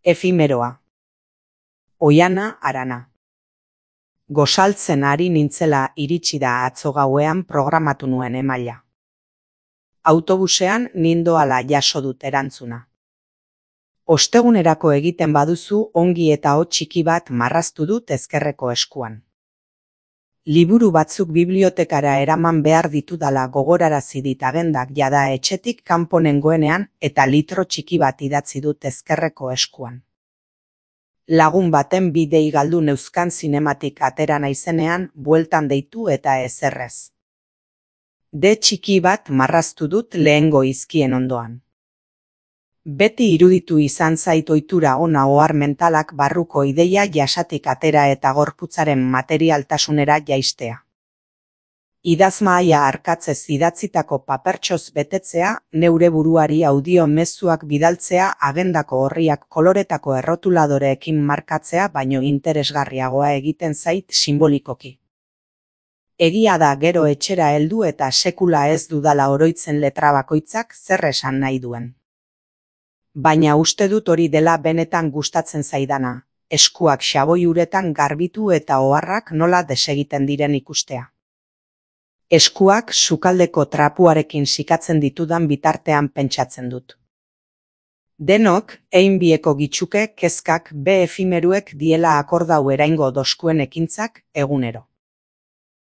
Efimeroa. Oiana Arana. Gosaltzen ari nintzela iritsi da atzo gauean programatu nuen emaila. Autobusean nindoala jaso dut erantzuna. Ostegunerako egiten baduzu ongi eta hotz txiki bat marraztu dut ezkerreko eskuan. Liburu batzuk bibliotekara eraman behar ditudala gogorarazi dit agendak jada etxetik kanpo nengoenean eta litro txiki bat idatzi dut ezkerreko eskuan. Lagun baten bi dei galdu neuzkan zinematik atera naizenean bueltan deitu eta ezerrez. De txiki bat marraztu dut lehengo izkien ondoan. Beti iruditu izan zait ohitura ona ohar mentalak barruko ideia jasatik atera eta gorputzaren materialtasunera jaistea. Idazmahaia arkatzez idatzitako papertxoz betetzea, neure buruari audio mezuak bidaltzea, agendako orriak koloretako errotuladoreekin markatzea baino interesgarriagoa egiten zait sinbolikoki. Egia da gero etxera heldu eta sekula ez dudala oroitzen letra bakoitzak zer esan nahi duen. Baina uste dut hori dela benetan gustatzen zaidana, eskuak xaboi uretan garbitu eta oharrak nola desegiten diren ikustea. Eskuak sukaldeko trapuarekin sikatzen ditudan bitartean pentsatzen dut. Denok, hein bieko gitxuke kezkak be efimeruek diela akordau eraingo doskuen ekintzak egunero.